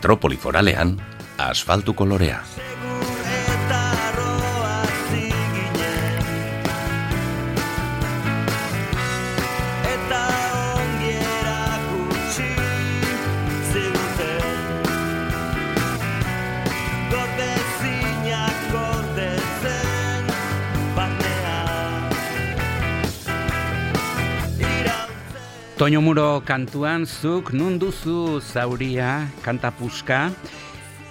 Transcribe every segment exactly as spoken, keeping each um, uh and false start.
Metropoli foralean, asfaltu kolorea. Toño Muro kantuan zuk nun duzu zauria kanta puska.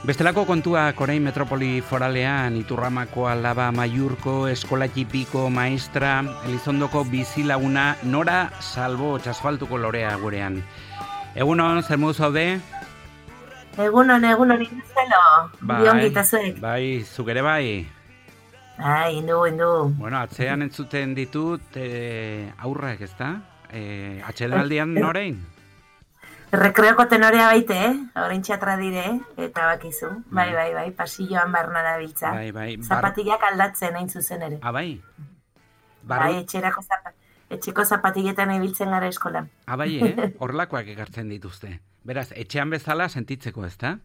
Bestelako kontuak orain Metropoli foralean Iturramako Alaba Maiurko Eskola Txipiko maestra Elizondoko bizilaguna Nora Salbo asfaltuko lorea gurean. Egunon, zer modu zaude? Egunon, egunon izelo. Bai, bai, zuk ere bai. Bai, indu, indu. Bueno, atzean entzuten ditut eh, aurrak, ezta? Eh, atxedenaldian norein? Rekreoko tenorea baite, eh? Orain txatra dire, eta bakizu. Bai, bai, bai, pasilloan barna da biltza. Bai, bai. Zapatilak aldatzen hain zuzen ere. Ah, bai? Barru... Bai, etxerako zapa... etxeko zapatiletan ibiltzen gara eskolan. Ah, bai, eh? Horlakoak ekartzen dituzte. Beraz, etxean bezala sentitzeko, ezta?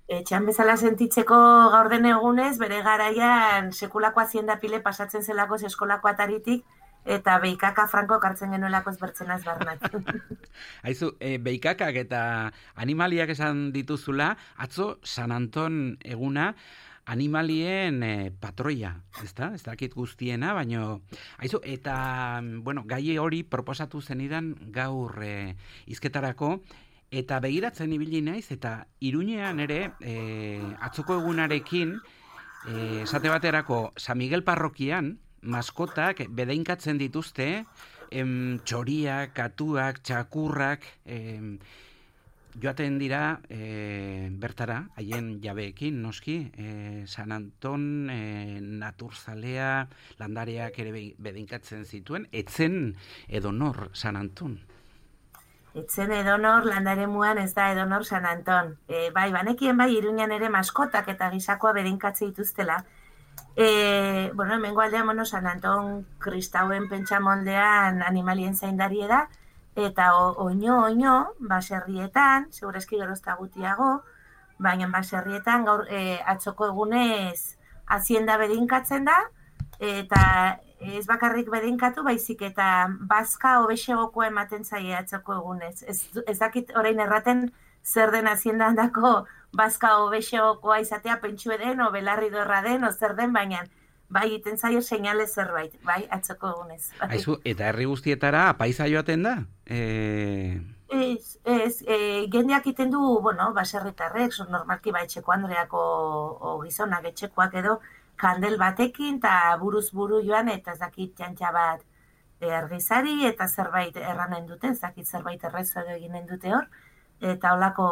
Etxean bezala sentitzeko gaur den egunez, bere garaian sekulako hazienda pile pasatzen zelako eskolako ataritik, eta beikaka franko kartzen genuelako ezbertzenaz barnat. Haizu, e, beikakak eta animaliak esan dituzula, atzo San Anton eguna animalien e, patroia, ezta? Ez dakit guztiena, baino... Haizu, eta, bueno, gai hori proposatu zenidan gaur e, izketarako, eta begiratzen ibili naiz, eta Iruñean ere, e, atzoko egunarekin, e, esate baterako San Miguel parrokian, maskotak bedeinkatzen dituzte, em, txoriak, katuak, txakurrak, em, joaten dira e, bertara, haien jabeekin, noski, e, San Anton, e, naturzalea, landareak ere bedeinkatzen zituen, etzen edonor San Anton. Etzen edonor landaremuan ez da edonor San Anton. E, bai, banekien bai Iruñan ere maskotak eta gisakoa bedeinkatze dituztela. E, bueno, hemengo aldean, bueno, San Anton kristauen pentsamoldean animalien zaindarie da, eta oino, oino, baserrietan, segurazki gerozta gutiago, baina baserrietan gaur e, atzoko egunez hazienda bedinkatzen da, eta ez bakarrik bedinkatu, baizik eta bazka hobexegokoa ematen zaie atzoko egunez. Ez, ez dakit orain erraten zer den hazienda handako bazka hobexegokoa izatea pentsu eden, o belarri dorra den, o zer den, baina bai iten zaio seinale zerbait, bai, atzoko egunez. Bai. Aizu, eta herri guztietara apaiza joaten da? E... Ez, ez, e, jendeak iten du, bueno, baserritarrek, normalki ba etxeko andreako o gizonak etxekoak edo, kandel batekin, eta buruz buru joan, eta ez dakit txantxa bat argizari, eta zerbait erranen duten, ez dakit zerbait errezo edo eginen dute hor, eta holako,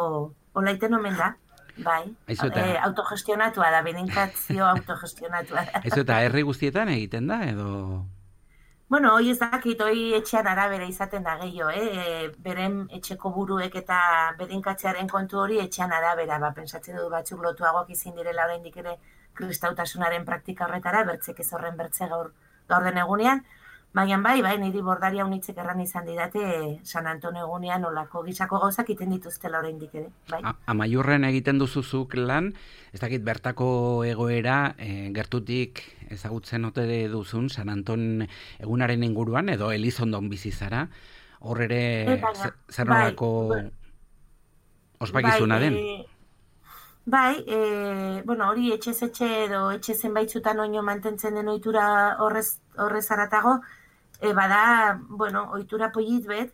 hola iten omen da. Bai, Aizu eta... e, autogestionatua da, beninkazio autogestionatua da. Aizu eta herri guztietan egiten da, edo... Bueno, hoi ez dakit, hoi etxean arabera izaten da gehiago, eh? E, beren etxeko buruek eta bedinkatzearen kontu hori etxean arabera, ba, pentsatzen dut batzuk lotuagoak izin direla oraindik ere kristautasunaren praktika horretara, bertzek ez horren bertze gaur, gaur den egunean, baina bai, bai, niri bordaria unitzek erran izan didate San Anton egunean olako gisako gauzak iten dituztela oraindik ere, bai. Amaiurren egiten duzuzuk lan, ez dakit bertako egoera e, gertutik ezagutzen ote duzun San Anton egunaren inguruan, edo Elizondon bizi zara, hor ere e, zer nolako bai, ospakizuna bai, den? E, bai, e, bueno, hori etxez etxe edo etxe zenbaitzutan oino mantentzen den ohitura horrez, horrez aratago, E, bada, bueno, ohitura polit bet,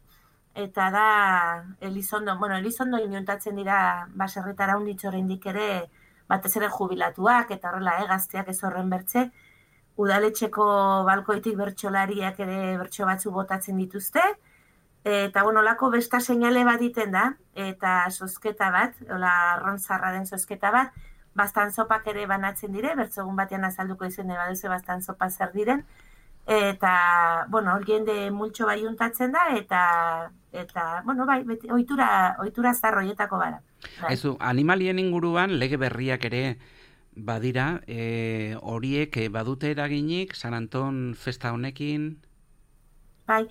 eta da Elizondo, bueno, Elizondo inuntatzen dira baserritara unditxo oraindik ere, batez ere jubilatuak, eta horrela, eh, gazteak ez horren bertze, udaletxeko balkoitik bertsolariak ere bertso batzu botatzen dituzte, eta, bueno, lako besta seinale bat iten da, eta zozketa bat, hola, arrontzarra den zozketa bat, bastan zopak ere banatzen dire, bertzogun batean azalduko izan baduzu bastan zopa zer diren, eta, bueno, hor jende multxo bai juntatzen da, eta, eta bueno, bai, beti, ohitura, ohitura zarroietako bara. Bai. Ezu, animalien inguruan lege berriak ere badira, e, horiek badute eraginik San Anton festa honekin? Bai,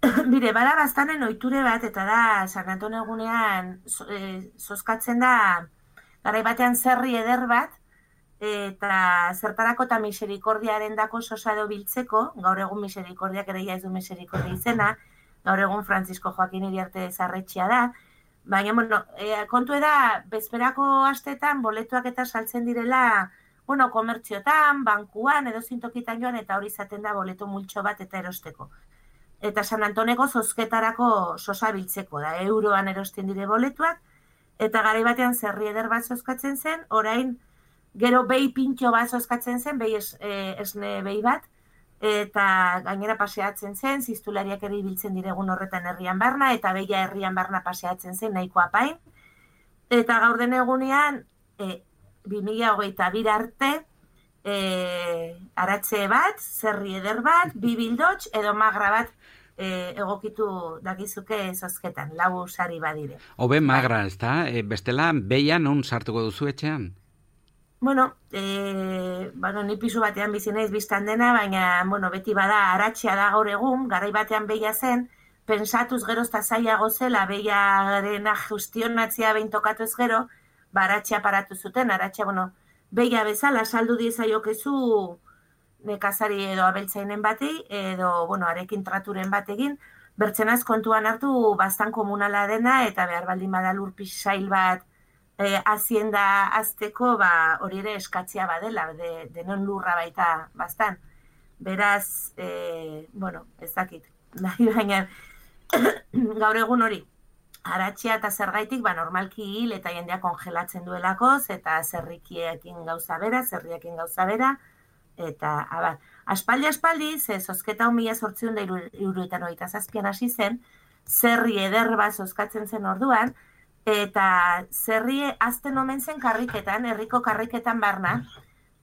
Bire, bada bastanen ohiture bat, eta da, San Anton egunean e, zozkatzen da, garai batean zerri eder bat, eta zertarako eta miserikordiaren dako sosado biltzeko, gaur egun miserikordiak ere ez du miserikordia izena, gaur egun Francisco Joaquin Iriarte zarretxea da, baina, bueno, e, kontu da, bezperako astetan, boletuak eta saltzen direla, bueno, komertziotan, bankuan, edo zintokitan joan, eta hori izaten da boleto multxo bat eta erosteko. Eta San Antoneko zozketarako sosa biltzeko da, euroan erosten dire boletuak, eta garai batean zerri eder bat zozkatzen zen, orain gero behi pintxo bat zozkatzen zen, behi es, e, esne behi bat, eta gainera paseatzen zen, ziztulariak ere biltzen diregun horretan herrian barna, eta behia herrian barna paseatzen zen nahiko apain, eta gaur den egunean, e, bi mila hogeita bir arte, e, aratxe bat, zerri eder bat, bi bildots, edo magra bat, E, egokitu dakizuke zozketan, lau sari badire. Obe magra, ez da? E, bestela, beia non sartuko duzu etxean? Bueno, e, bueno, ni pisu batean bizi naiz biztan dena, baina, bueno, beti bada aratxea da gaur egun, garai batean beia zen, pensatuz gero ezta zailago zela, beiaren ajustionatzea behin tokatu ez gero, ba, aratxea paratu zuten, aratxea, bueno, beia bezala, saldu diezaiokezu nekazari edo abeltzainen batei, edo, bueno, arekin traturen bategin, bertzenaz kontuan hartu bastan komunala dena, eta behar baldin bada lur pisail bat e, hazienda azteko, ba, hori ere eskatzia badela, de, denon lurra baita bastan. Beraz, e, bueno, ez dakit, baina gaur egun hori, aratxea eta zergaitik, ba, normalki hil eta jendea kongelatzen duelakoz, eta zerrikiekin gauza bera, zerriekin gauza bera, eta, abar, aspaldi, aspaldi, ze zozketa hon mila sortzion da iruruetan hogeita zazpian hasi zen, zerri eder bat zozkatzen zen orduan, eta zerri azten omen zen karriketan, herriko karriketan barna,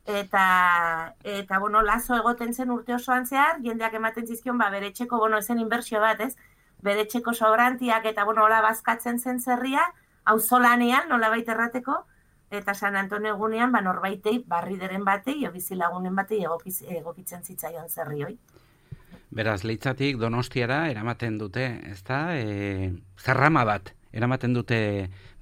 eta, eta, bueno, lazo egoten zen urte osoan zehar, jendeak ematen zizkion, ba, bere txeko, bueno, esen inbertsio bat, ez, bere txeko sobrantiak, eta, bueno, hola bazkatzen zen zerria, auzolanean, nola baita errateko, eta San Anton egunean, ba, norbaitei, barrideren batei, o bizilagunen batei egokiz, egokitzen zitzaion zerri hoi. Beraz, Leitzatik Donostiara eramaten dute, ezta? E, zerrama bat eramaten dute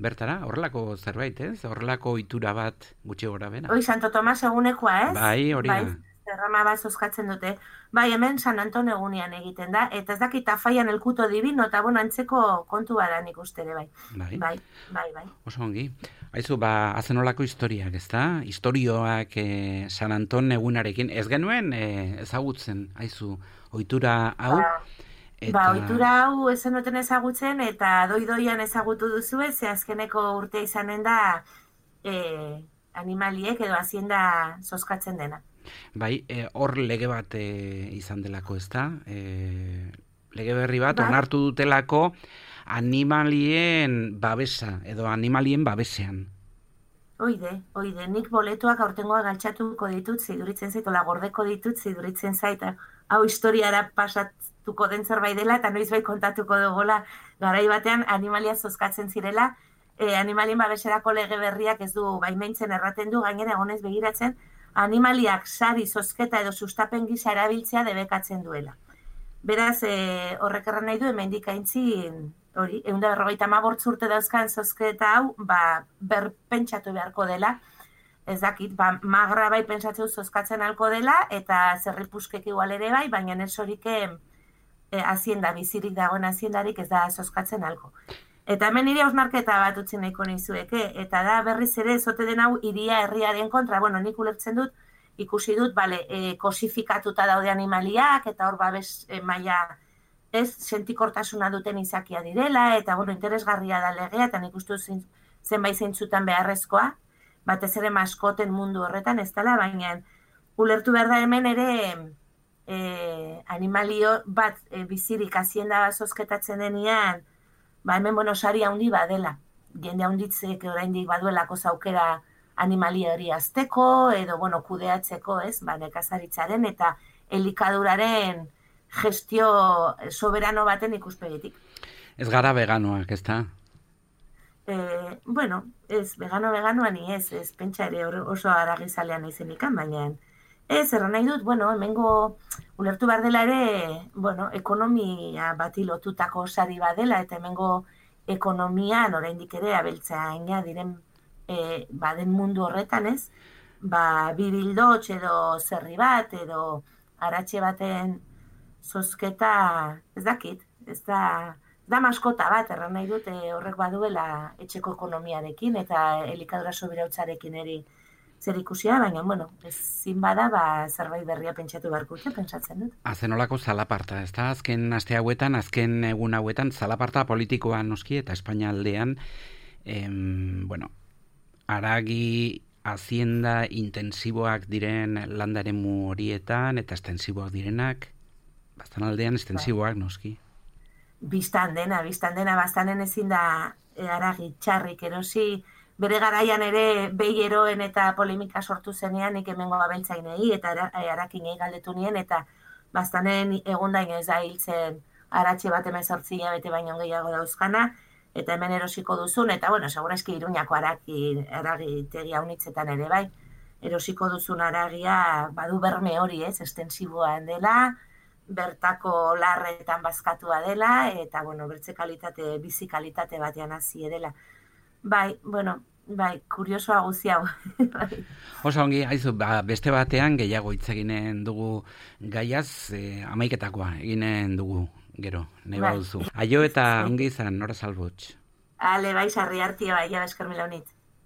bertara, horrelako zerbait, ez? Horrelako ohitura bat gutxi gora bera. Hoi, Santo Tomas egunekoa, ez? Bai, hori da. Bai, zerrama bat zozkatzen dute. Bai, hemen San Anton egunean egiten da, eta ez dakit afaian elkuto divino, eta bueno, antzeko kontu bada nik uste ere, bai. Bai, bai, bai. bai. Oso ongi. Aizu, ba, azenolako historiak, ez da? Historioak eh, San Anton egunarekin, ez genuen eh, ezagutzen, aizu, ohitura hau? Ba, eta... ba ohitura hau ezen duten ezagutzen, eta doi-doian ezagutu duzu, ze azkeneko urtea izanen da eh, animaliek edo hazienda zozkatzen dena. Bai, hor e, lege bat e, izan delako, ez da? E, lege berri bat, bai. Onartu dutelako animalien babesa, edo animalien babesean. Oide, oide, nik boletuak aurtengoa galtxatuko ditut, ziduritzen zait, ola gordeko ditut, ziduritzen zait, hau historiara pasatuko den zerbait dela, eta noiz bai kontatuko dugola, garai batean animalia zozkatzen zirela, e, animalien babeserako lege berriak ez du baimentzen erraten du, gainera egonez begiratzen, animaliak sari, zozketa edo sustapen gisa erabiltzea debekatzen duela. Beraz, e, horrek erran nahi du, hemendik aintzin, hori, ehun eta berrogeita hamabost urte dauzkan zozketa hau, ba, berpentsatu beharko dela, ez dakit, ba, magra bai pentsatzeu zozkatzen halko dela, eta zerripuskek igual ere bai, baina ez horik e, hazienda, bizirik dagoen haziendarik ez da zozkatzen halko. Eta hemen nire hausnarketa bat utzin nahiko nizueke, eta da berriz ere zote den hau iria herriaren kontra, bueno, nik ulertzen dut, ikusi dut, bale, e, kosifikatuta daude animaliak, eta hor babes e, maila ez sentikortasuna duten izakia direla, eta bueno, interesgarria da legea, eta nik uste dut zenbait zeintzutan beharrezkoa, batez ere maskoten mundu horretan ez dela, baina ulertu behar da hemen ere e, animalio bat e, bizirik hazienda zozketatzen denean, ba, hemen, bueno, sari handi badela. Jende handitzek oraindik baduelako zaukera animalia hori azteko, edo, bueno, kudeatzeko, ez, ba, nekazaritzaren eta elikaduraren gestio soberano baten ikuspegitik. Ez gara veganoak, ez da? Eh, bueno, ez, vegano-veganoa ni ez, ez pentsa ere oso aragizalean izen ikan, baina Ez, erran nahi dut, bueno, hemengo ulertu behar dela ere, bueno, ekonomia bati lotutako sari badela, eta hemengo ekonomian oraindik ere abeltzaina diren e, baden mundu horretan ez, ba, bi bildotx edo zerri bat, edo aratxe baten zozketa, ez dakit, ez da, ez da maskota bat, erran nahi dut, e, horrek baduela etxeko ekonomiarekin, eta elikadura sobirautzarekin eri zer ikusia, baina, bueno, ezin bada, ba, zerbait berria pentsatu beharko dute, pentsatzen dut. Azenolako zalaparta, ez da? Azken aste hauetan, azken egun hauetan, zalaparta politikoa noski, eta Espainia aldean, em, bueno, haragi hazienda intensiboak diren landaremu horietan, eta estensiboak direnak, bastan aldean estensiboak noski. Bistan dena, bistan dena, bastanen ezin da haragi txarrik erosi, bere garaian ere behi eroen eta polemika sortu zenean nik hemengo abeltzainei eta harakinei galdetu nien eta bastanen egundain ez da hiltzen aratxe bat emezortzi bete baino gehiago dauzkana eta hemen erosiko duzun eta bueno, segurazki Iruñako haragi, haragitegi haunitzetan ere bai, erosiko duzun haragia badu berme hori ez, estensiboan dela, bertako larretan bazkatua dela eta bueno, bertze kalitate, bizi kalitate batean hasi dela. Bai, bueno, bai, kuriosoa guzi hau. Osa ongi, haizu, ba, beste batean gehiago hitz eginen dugu gaiaz, e, amaiketakoa eginen dugu, gero, nahi Bai. baduzu. Aio eta ongi izan, nora salbotx. Ale, bai, sarri hartia, bai, ja, esker mila honit.